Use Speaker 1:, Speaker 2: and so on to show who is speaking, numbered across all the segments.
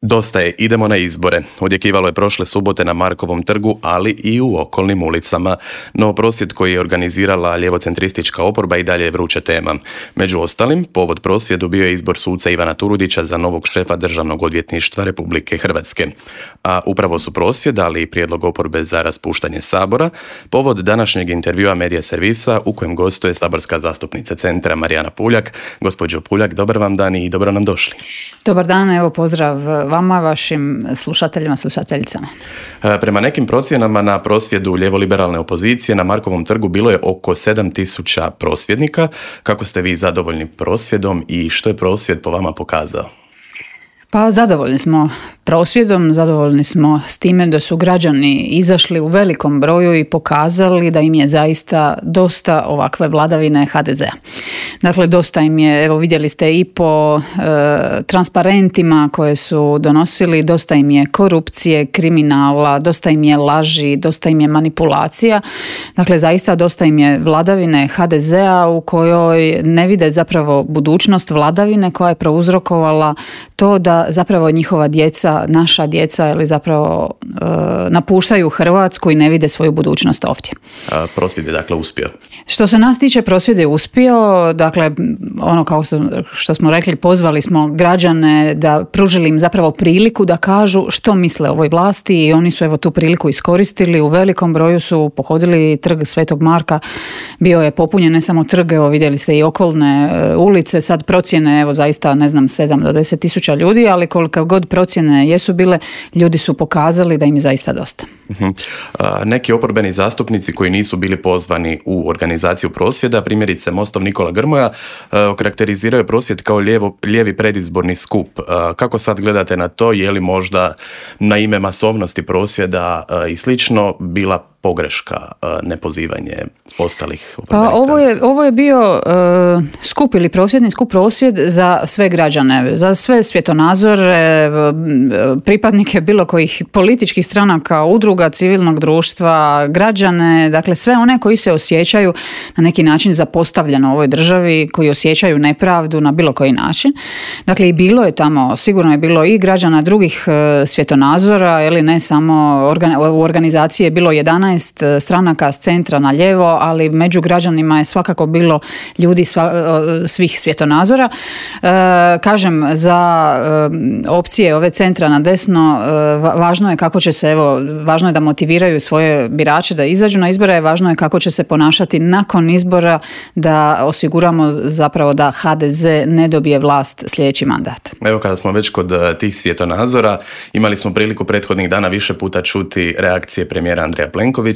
Speaker 1: Dosta je, idemo na izbore. Odjekivalo je prošle subote na Markovom trgu, ali i u okolnim ulicama. No prosvjed koji je organizirala ljevocentristička oporba i dalje je vruća tema. Među ostalim, povod prosvjedu bio je izbor suca Ivana Turudića za novog šefa Državnog odvjetništva Republike Hrvatske. A upravo su prosvjed, ali i prijedlog oporbe za raspuštanje Sabora, povod današnjeg intervjua Medija servisa u kojem gostuje saborska zastupnica Centra Marijana Puljak. Gospođo Puljak, dobar vam dan i dobro nam došli.
Speaker 2: Dobar dan, evo pozdrav vama, vašim slušateljima, slušateljicama.
Speaker 1: Prema nekim procjenama na prosvjedu ljevoliberalne opozicije na Markovom trgu bilo je oko 7.000 prosvjednika. Kako ste vi zadovoljni prosvjedom i što je prosvjed po vama pokazao?
Speaker 2: Pa zadovoljni smo prosvjedom, zadovoljni smo s time da su građani izašli u velikom broju i pokazali da im je zaista dosta ovakve vladavine HDZ-a. Dakle, dosta im je, evo vidjeli ste i po transparentima koje su donosili, dosta im je korupcije, kriminala, dosta im je laži, dosta im je manipulacija. Dakle, zaista dosta im je vladavine HDZ-a u kojoj ne vide zapravo budućnost vladavine koja je prouzrokovala to da zapravo njihova djeca, naša djeca, ili zapravo napuštaju Hrvatsku i ne vide svoju budućnost ovdje.
Speaker 1: Prosvjed je dakle uspio.
Speaker 2: Što se nas tiče, prosvjed je uspio. Dakle, ono kao što smo rekli, pozvali smo građane da pružili im zapravo priliku da kažu što misle o ovoj vlasti i oni su evo tu priliku iskoristili. U velikom broju su pohodili trg Svetog Marka. Bio je popunjen ne samo trg, evo vidjeli ste i okolne ulice. Sad procjene, evo zaista ne znam 7 do 10 tisuća ljudi, ali koliko god procjene jesu bile, ljudi su pokazali da im je zaista dosta.
Speaker 1: Neki oporbeni zastupnici koji nisu bili pozvani u organizaciju prosvjeda, primjerice Mostov Nikola Grmoja, okarakteriziraju prosvjed kao lijevi predizborni skup. Kako sad gledate na to? Je li možda na ime masovnosti prosvjeda i slično bila pogreška nepozivanje ostalih oporbenih stranaka?
Speaker 2: Ovo je bio skup ili prosvjedni skup, prosvjed za sve građane, za sve svjetonazore, pripadnike bilo kojih političkih stranaka, udruga civilnog društva, građane, dakle sve one koji se osjećaju na neki način zapostavljeno u ovoj državi, koji osjećaju nepravdu na bilo koji način. Dakle, i bilo je tamo, sigurno je bilo i građana drugih svjetonazora, ili ne samo u organizaciji je bilo 11 stranaka s centra na lijevo, ali među građanima je svakako bilo ljudi svih svjetonazora. Kažem, za opcije ove centra na desno, važno je kako će se, važno je da motiviraju svoje birače da izađu na izbore, važno je kako će se ponašati nakon izbora, da osiguramo zapravo da HDZ ne dobije vlast sljedeći mandat.
Speaker 1: Evo, kada smo već kod tih svjetonazora, imali smo priliku prethodnih dana više puta čuti reakcije premijera Andreja Plenkovića,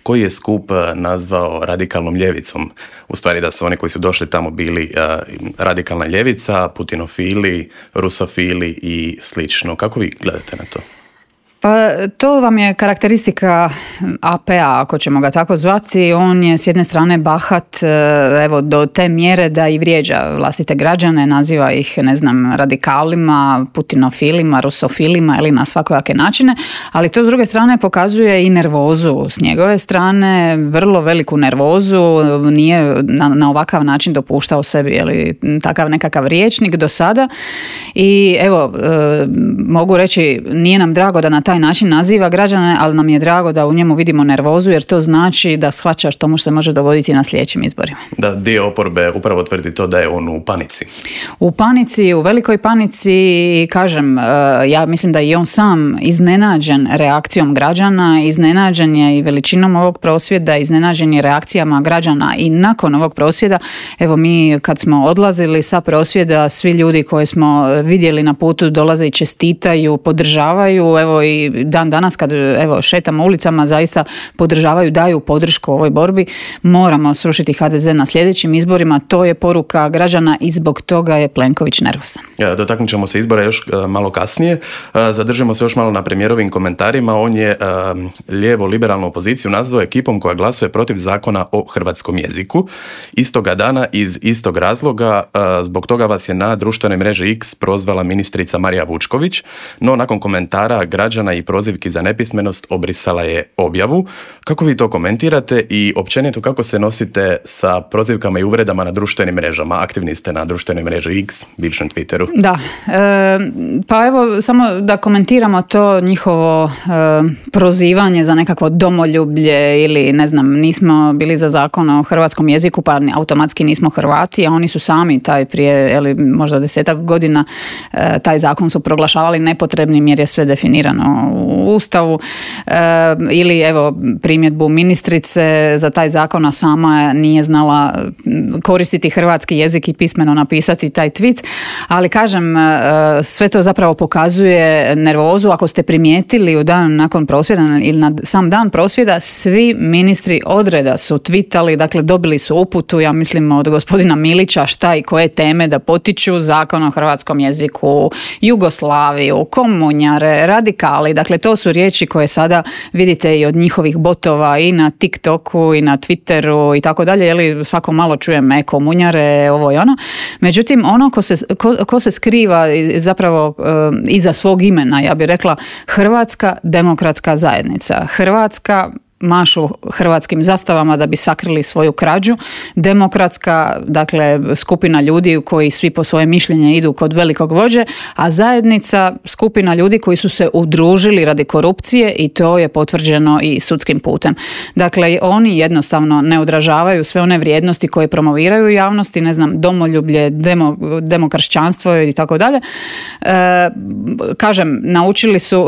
Speaker 1: koji je skup nazvao radikalnom ljevicom. U stvari da su oni koji su došli tamo bili radikalna ljevica, putinofili, rusofili i slično. Kako vi gledate na to?
Speaker 2: Pa to vam je karakteristika AP-a, ako ćemo ga tako zvati. On je s jedne strane bahat, evo, do te mjere da i vrijeđa vlastite građane, naziva ih, ne znam, radikalima, putinofilima, rusofilima ili na svakojake načine, ali to s druge strane pokazuje i nervozu s njegove strane, vrlo veliku nervozu, nije na ovakav način dopuštao sebi takav nekakav rječnik do sada i evo, mogu reći, nije nam drago da na taj način naziva građane, ali nam je drago da u njemu vidimo nervozu, jer to znači da shvaća što mu se može dogoditi na sljedećim izborima.
Speaker 1: Da, dio oporbe upravo tvrdi to da je on u panici.
Speaker 2: U panici, u velikoj panici, i kažem, ja mislim da je on sam iznenađen reakcijom građana, iznenađen je i veličinom ovog prosvjeda, iznenađen je reakcijama građana i nakon ovog prosvjeda. Evo, mi kad smo odlazili sa prosvjeda, svi ljudi koje smo vidjeli na putu dolaze i čestitaju, podržavaju, evo i dan danas kad evo šetamo ulicama zaista podržavaju, daju podršku ovoj borbi. Moramo srušiti HDZ na sljedećim izborima, to je poruka građana i zbog toga je Plenković nervozan.
Speaker 1: Dotaknut ćemo se izbora još malo kasnije. Zadržimo se još malo na premijerovim komentarima. On je lijevo-liberalnu opoziciju nazvao ekipom koja glasuje protiv zakona o hrvatskom jeziku. Istoga dana iz istog razloga, zbog toga vas je na društvenoj mreži X prozvala ministrica Marija Vučković, no nakon komentara građana građana i prozivki za nepismenost obrisala je objavu. Kako vi to komentirate i općenito kako se nosite sa prozivkama i uvredama na društvenim mrežama? Aktivni ste na društvenoj mreži X, bivšem Twitteru.
Speaker 2: Da, pa evo samo da komentiramo to njihovo prozivanje za nekakvo domoljublje ili ne znam, nismo bili za zakon o hrvatskom jeziku pa automatski nismo Hrvati, a oni su sami taj prije možda 10-ak godina taj zakon su proglašavali nepotrebnim jer je sve definirano u Ustavu, ili evo primjedbu ministrice za taj zakon, a sama nije znala koristiti hrvatski jezik i pismeno napisati taj tweet, ali kažem, sve to zapravo pokazuje nervozu. Ako ste primijetili u dan nakon prosvjeda ili na sam dan prosvjeda, svi ministri odreda su tweetali, dakle dobili su uputu, ja mislim od gospodina Milića, šta i koje teme da potiču, zakon o hrvatskom jeziku, Jugoslaviju, komunjare, radikali, dakle to su riječi koje sada vidite i od njihovih botova i na TikToku i na Twitteru i tako dalje, jeli svako malo čujem komunjare, ovo i ono. Međutim, ono ko se skriva zapravo iza svog imena, ja bih rekla Hrvatska demokratska zajednica. Hrvatska mašu hrvatskim zastavama da bi sakrili svoju krađu. Demokratska, dakle, skupina ljudi koji svi po svoje mišljenje idu kod velikog vođe, a zajednica skupina ljudi koji su se udružili radi korupcije i to je potvrđeno i sudskim putem. Dakle, oni jednostavno ne odražavaju sve one vrijednosti koje promoviraju u javnosti, ne znam, domoljublje, demokršćanstvo i tako dalje. Kažem, naučili su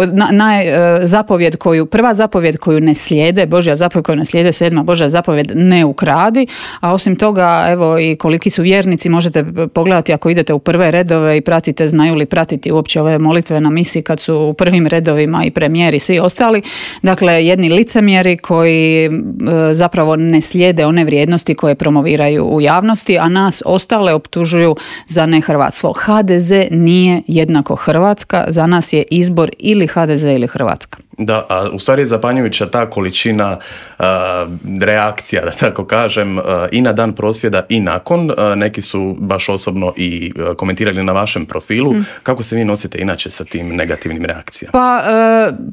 Speaker 2: prva zapovjed koju ne slijede, Božja zapovjed koju ne slijede, 7. Božja zapovjed ne ukradi, a osim toga, evo i koliki su vjernici, možete pogledati ako idete u prve redove i pratite, znaju li pratiti uopće ove molitve na misi kad su u prvim redovima i premijeri i svi ostali. Dakle, jedni licemjeri koji zapravo ne slijede one vrijednosti koje promoviraju u javnosti, a nas ostale optužuju za nehrvatstvo. HDZ nije jednako Hrvatska, za nas je izbor ili HDZ ili Hrvatska.
Speaker 1: Da, a u stvari je zapanjujuća ta količina reakcija, da tako kažem, i na dan prosvjeda i nakon. Neki su baš osobno i komentirali na vašem profilu. Kako se vi nosite inače sa tim negativnim reakcijama?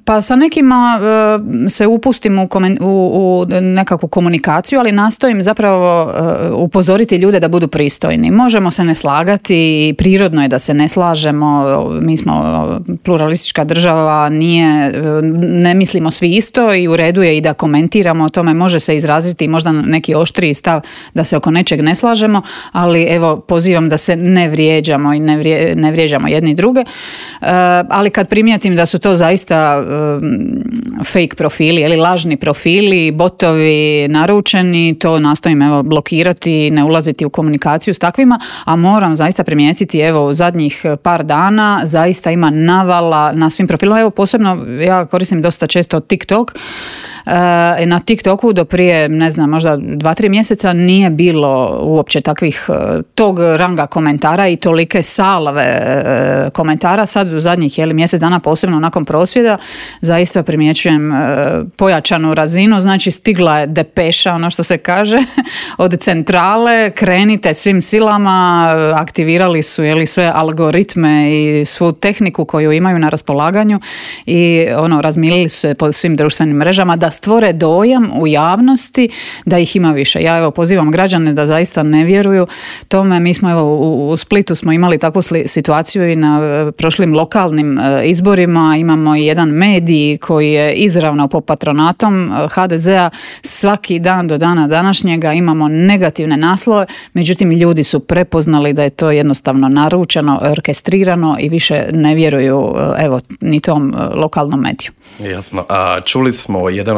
Speaker 2: Pa sa nekima se upustim u nekakvu komunikaciju, ali nastojim zapravo upozoriti ljude da budu pristojni. Možemo se ne slagati, prirodno je da se ne slažemo, mi smo pluralistička država, ne mislimo svi isto i u redu je i da komentiramo o tome, može se izraziti možda neki oštriji stav da se oko nečeg ne slažemo, ali evo pozivam da se ne vrijeđamo i ne vrijeđamo jedni druge, ali kad primijetim da su to zaista fake profili ili lažni profili, botovi naručeni, to nastojim evo blokirati, ne ulaziti u komunikaciju s takvima, a moram zaista primijetiti evo u zadnjih par dana zaista ima navala na svim profilima, evo posebno ja koristim dosta često TikTok. Na TikToku do prije, ne znam, možda 2-3 mjeseca nije bilo uopće takvih tog ranga komentara i tolike salve komentara. Sad u zadnjih mjesec dana, posebno nakon prosvjeda, zaista primjećujem pojačanu razinu, znači stigla je depeša, ono što se kaže, od centrale, krenite svim silama, aktivirali su sve algoritme i svu tehniku koju imaju na raspolaganju i razmilili su se po svim društvenim mrežama da stvore dojam u javnosti da ih ima više. Ja evo pozivam građane da zaista ne vjeruju tome. Mi smo u Splitu smo imali takvu situaciju i na prošlim lokalnim izborima. Imamo i jedan medij koji je izravno pod patronatom HDZ-a. Svaki dan do dana današnjega imamo negativne naslove, međutim ljudi su prepoznali da je to jednostavno naručeno, orkestrirano i više ne vjeruju ni tom lokalnom mediju.
Speaker 1: Jasno. A čuli smo jedan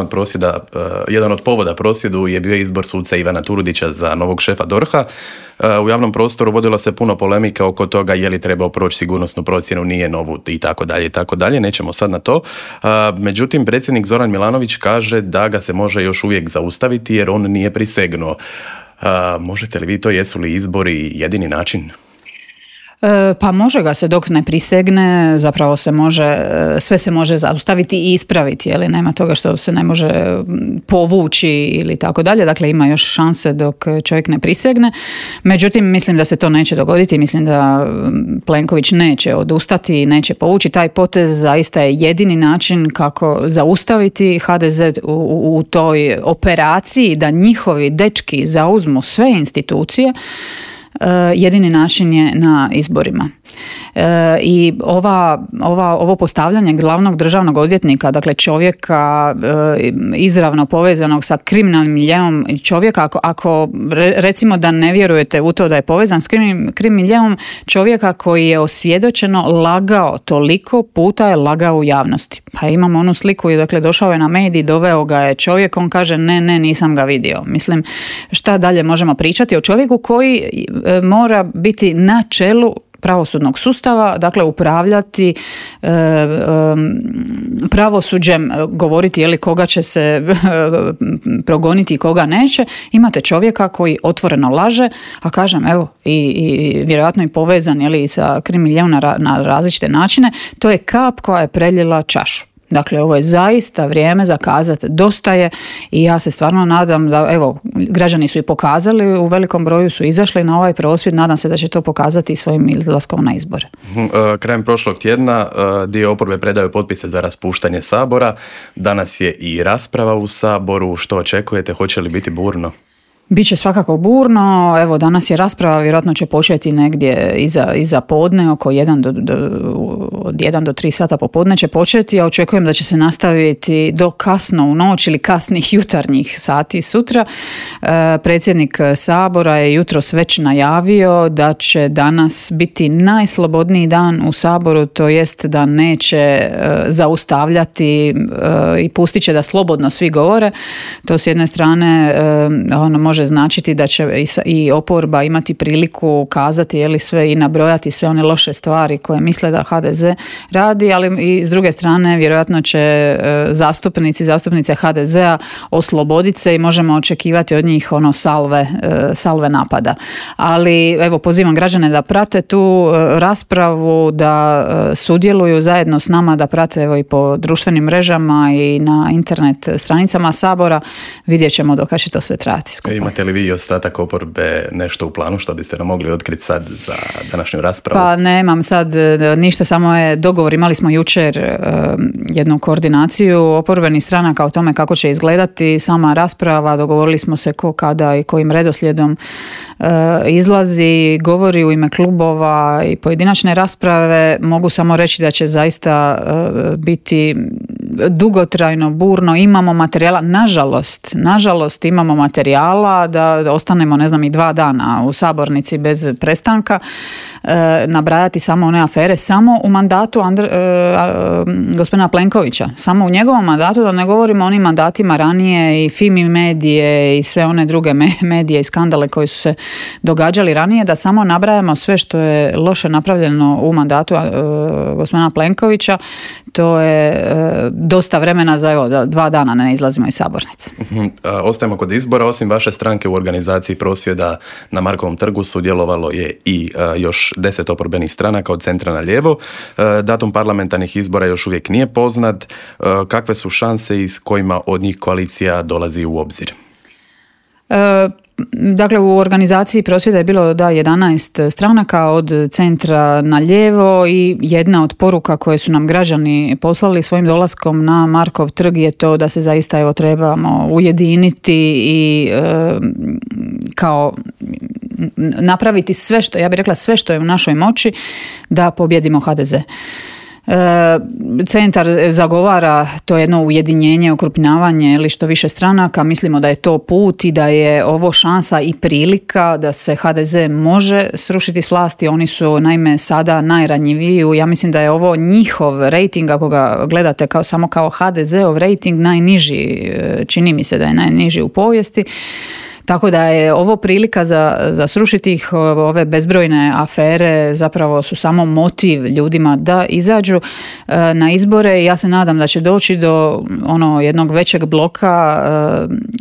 Speaker 1: od povoda prosvjedu je bio izbor suca Ivana Turudića za novog šefa DORH-a. U javnom prostoru vodilo se puno polemike oko toga je li trebao proći sigurnosnu procjenu, nije novu i tako dalje i tako dalje. Nećemo sad na to. Međutim, predsjednik Zoran Milanović kaže da ga se može još uvijek zaustaviti jer on nije prisegnuo. Možete li vi to, jesu li izbori jedini način?
Speaker 2: Pa može ga se dok ne prisegne, zapravo sve se može zaustaviti i ispraviti, ali nema toga što se ne može povući ili tako dalje, dakle ima još šanse dok čovjek ne prisegne. Međutim, mislim da se to neće dogoditi, mislim da Plenković neće odustati, neće povući taj potez, zaista je jedini način kako zaustaviti HDZ u toj operaciji da njihovi dečki zauzmu sve institucije. Jedini način je na izborima. I ovo postavljanje glavnog državnog odvjetnika, dakle čovjeka izravno povezanog sa kriminalnim miljeom, čovjeka, ako recimo da ne vjerujete u to da je povezan s kriminalnim miljeom, čovjeka koji je osvjedočeno lagao, toliko puta je lagao u javnosti. Pa imamo onu sliku, dakle došao je na medij, doveo ga je čovjek, on kaže ne, nisam ga vidio. Mislim, šta dalje možemo pričati o čovjeku koji mora biti na čelu pravosudnog sustava, dakle upravljati pravosuđem, govoriti koga će se progoniti i koga neće. Imate čovjeka koji otvoreno laže, a kažem evo i vjerojatno i povezan sa kriminalom na različite načine, to je kap koja je prelila čašu. Dakle, ovo je zaista vrijeme za kazati dosta je i ja se stvarno nadam da, evo, građani su i pokazali, u velikom broju su izašli na ovaj prosvjed, nadam se da će to pokazati i svojim izlaskom na izbore.
Speaker 1: Krajem prošlog tjedna dio oporbe predaju potpise za raspuštanje Sabora, danas je i rasprava u Saboru, što očekujete, hoće li biti burno?
Speaker 2: Biće svakako burno, evo danas je rasprava, vjerojatno će početi negdje iza podne, oko 1 do 3 sata popodne će početi, ja očekujem da će se nastaviti do kasno u noć ili kasnih jutarnjih sati sutra. Predsjednik Sabora je jutros već najavio da će danas biti najslobodniji dan u Saboru, to jest da neće zaustavljati i pustit će da slobodno svi govore. To s jedne strane može značiti da će i oporba imati priliku kazati sve i nabrojati sve one loše stvari koje misle da HDZ radi, ali i s druge strane vjerojatno će zastupnice HDZ-a osloboditi se i možemo očekivati od njih salve napada. Ali evo pozivam građane da prate tu raspravu, da sudjeluju zajedno s nama, da prate evo i po društvenim mrežama i na internet stranicama Sabora. Vidjet ćemo do kada će to sve trajati skupa.
Speaker 1: Imate li vi i ostatak oporbe nešto u planu što biste nam mogli otkriti sad za današnju raspravu?
Speaker 2: Pa nemam sad ništa, samo je dogovor. Imali smo jučer jednu koordinaciju oporbenih stranaka o tome kako će izgledati sama rasprava. Dogovorili smo se ko, kada i kojim redoslijedom izlazi, govori u ime klubova i pojedinačne rasprave. Mogu samo reći da će zaista biti dugotrajno, burno. Imamo materijala, nažalost imamo materijala da ostanemo i 2 dana u sabornici bez prestanka, nabrajati samo one afere, samo u mandatu gospodina Plenkovića, samo u njegovom mandatu, da ne govorimo o onim mandatima ranije i Fimi medije i sve one druge medije i skandale koji su se događali ranije, da samo nabrajamo sve što je loše napravljeno u mandatu gospodina Plenkovića. To je dosta vremena za 2 dana ne izlazimo iz sabornice.
Speaker 1: Ostajemo kod izbora. Osim vaše stranke u organizaciji prosvjeda na Markovom trgu sudjelovalo je i još 10 oporbenih stranaka od centra na lijevo. Datum parlamentarnih izbora još uvijek nije poznat. Kakve su šanse i s kojima od njih koalicija dolazi u obzir?
Speaker 2: Dakle, u organizaciji prosvjeda je bilo 11 stranaka od centra na lijevo i jedna od poruka koje su nam građani poslali svojim dolaskom na Markov trg je to da se zaista trebamo ujediniti i kao napraviti sve što, ja bih rekla sve što je u našoj moći da pobijedimo HDZ. Centar zagovara to jedno ujedinjenje, okrupnjavanje ili što više stranaka. Mislimo da je to put i da je ovo šansa i prilika da se HDZ može srušiti s vlasti. Oni su naime sada najranjiviji. Ja mislim da je ovo njihov rejting, ako ga gledate samo kao HDZ-ov rejting, najniži, čini mi se da je najniži u povijesti. Tako da je ovo prilika za srušiti ih, ove bezbrojne afere zapravo su samo motiv ljudima da izađu na izbore i ja se nadam da će doći do jednog većeg bloka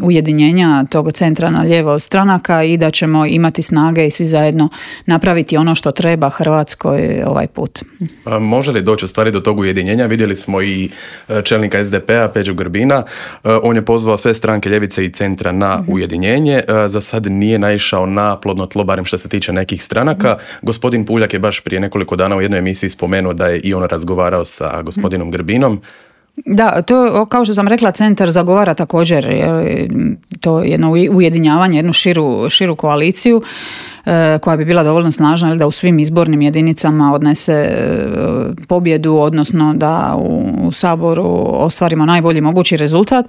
Speaker 2: ujedinjenja tog centra na lijevo od stranaka i da ćemo imati snage i svi zajedno napraviti ono što treba Hrvatskoj ovaj put.
Speaker 1: Može li doći u stvari do tog ujedinjenja? Vidjeli smo i čelnika SDP-a Peđu Grbina. On je pozvao sve stranke ljevice i centra na ujedinjenje. Za sad nije naišao na plodno tlo, barem što se tiče nekih stranaka. Gospodin Puljak je baš prije nekoliko dana u jednoj emisiji spomenuo da je i on razgovarao sa gospodinom Grbinom.
Speaker 2: Da, to kao što sam rekla, centar zagovara također to jedno ujedinjavanje, jednu širu koaliciju koja bi bila dovoljno snažna da u svim izbornim jedinicama odnese pobjedu, odnosno da u Saboru ostvarimo najbolji mogući rezultat.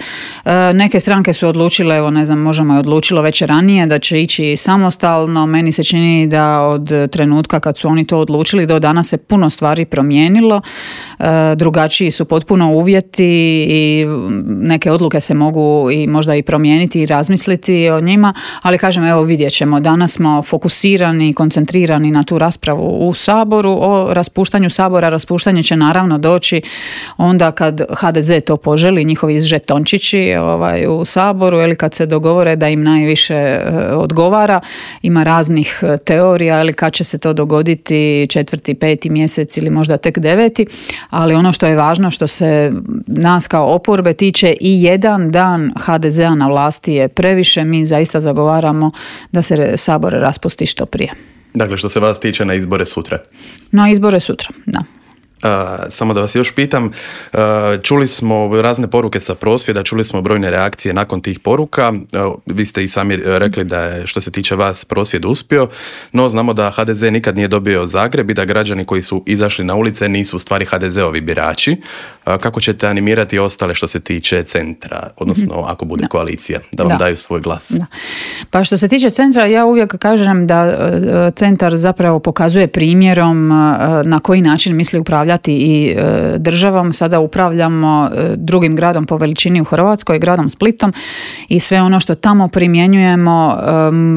Speaker 2: Neke stranke su odlučile, evo ne znam, Možemo je odlučilo već ranije da će ići samostalno. Meni se čini da od trenutka kad su oni to odlučili do danas se puno stvari promijenilo. Drugačiji su potpuno uvjeti i neke odluke se mogu i možda i promijeniti i razmisliti o njima, ali kažem, evo vidjet ćemo. Danas smo fokusirani, koncentrirani na tu raspravu u Saboru o raspuštanju Sabora. Raspuštanje će naravno doći onda kad HDZ to poželi, njihovi žetončići u Saboru, ili kad se dogovore da im najviše odgovara. Ima raznih teorija, ili kad će se to dogoditi 4., 5. mjesec ili možda tek 9. Ali ono što je važno, što se nas kao oporbe tiče, i jedan dan HDZ-a na vlasti je previše. Mi zaista zagovaramo da se Sabor raspusti što prije.
Speaker 1: Dakle, što se vas tiče, na izbore sutra?
Speaker 2: Na izbore sutra, da.
Speaker 1: Samo da vas još pitam, čuli smo razne poruke sa prosvjeda, čuli smo brojne reakcije nakon tih poruka. Vi ste i sami rekli da je, što se tiče vas, prosvjed uspio, no znamo da HDZ nikad nije dobio Zagreb i da građani koji su izašli na ulice nisu u stvari HDZ-ovi birači. Kako ćete animirati ostale što se tiče centra, odnosno ako bude koalicija, da vam daju svoj glas? Da.
Speaker 2: Pa što se tiče centra, ja uvijek kažem da centar zapravo pokazuje primjerom na koji način misli upravljati i državom. Sada upravljamo drugim gradom po veličini u Hrvatskoj, gradom Splitom, i sve ono što tamo primjenjujemo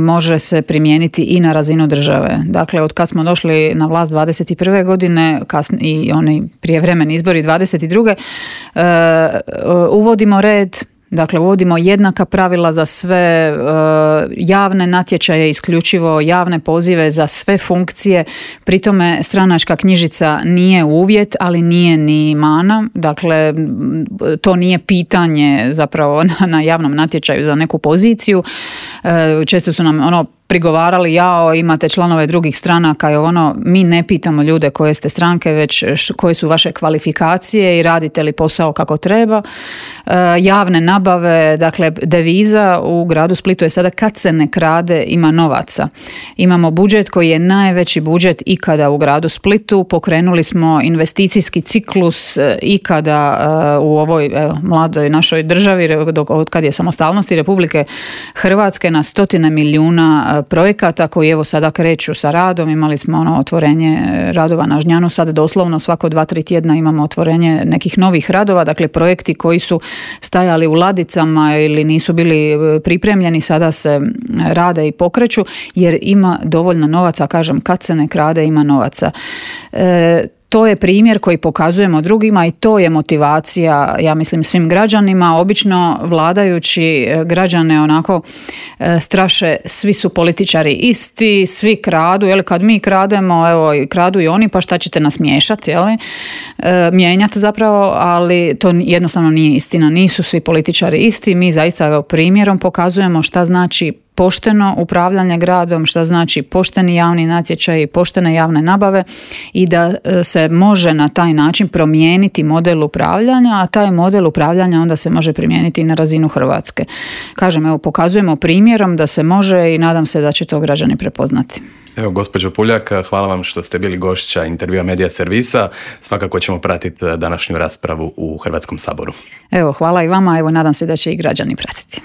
Speaker 2: može se primijeniti i na razinu države. Dakle, od kad smo došli na vlast 21. godine i oni prijevremeni izbori 22. Uvodimo red. Dakle, uvodimo jednaka pravila za sve, javne natječaje, isključivo javne pozive za sve funkcije. Pri tome stranačka knjižica nije uvjet, ali nije ni mana. Dakle, to nije pitanje zapravo na javnom natječaju za neku poziciju. Često su nam prigovarali, imate članove drugih stranaka i mi ne pitamo ljude koje ste stranke, već koje su vaše kvalifikacije i radite li posao kako treba. Javne nabave, dakle deviza u gradu Splitu je sada kad se ne krade ima novaca. Imamo budžet koji je najveći budžet ikada u gradu Splitu. Pokrenuli smo investicijski ciklus ikada u ovoj mladoj našoj državi, od kad je samostalnosti Republike Hrvatske, na 100 milijuna projekata koji evo sada kreću sa radom. Imali smo otvorenje radova na Žnjanu, sad doslovno svako 2-3 tjedna imamo otvorenje nekih novih radova, dakle projekti koji su stajali u ladicama ili nisu bili pripremljeni sada se rade i pokreću jer ima dovoljno novaca, kažem, kad se ne krade ima novaca. To je primjer koji pokazujemo drugima i to je motivacija, ja mislim, svim građanima. Obično vladajući građane onako straše, svi su političari isti, svi kradu, kad mi krademo, evo kradu i oni, pa šta ćete nas miješati, mijenjati zapravo, ali to jednostavno nije istina. Nisu svi političari isti, mi zaista primjerom pokazujemo šta znači pošteno upravljanje gradom, što znači pošteni javni natječaj, poštene javne nabave i da se može na taj način promijeniti model upravljanja, a taj model upravljanja onda se može primijeniti i na razinu Hrvatske. Kažem, evo, pokazujemo primjerom da se može i nadam se da će to građani prepoznati.
Speaker 1: Evo, gospođo Puljak, hvala vam što ste bili gošća intervjua Medija servisa. Svakako ćemo pratiti današnju raspravu u Hrvatskom saboru.
Speaker 2: Evo, hvala i vama, evo, nadam se da će i građani pratiti.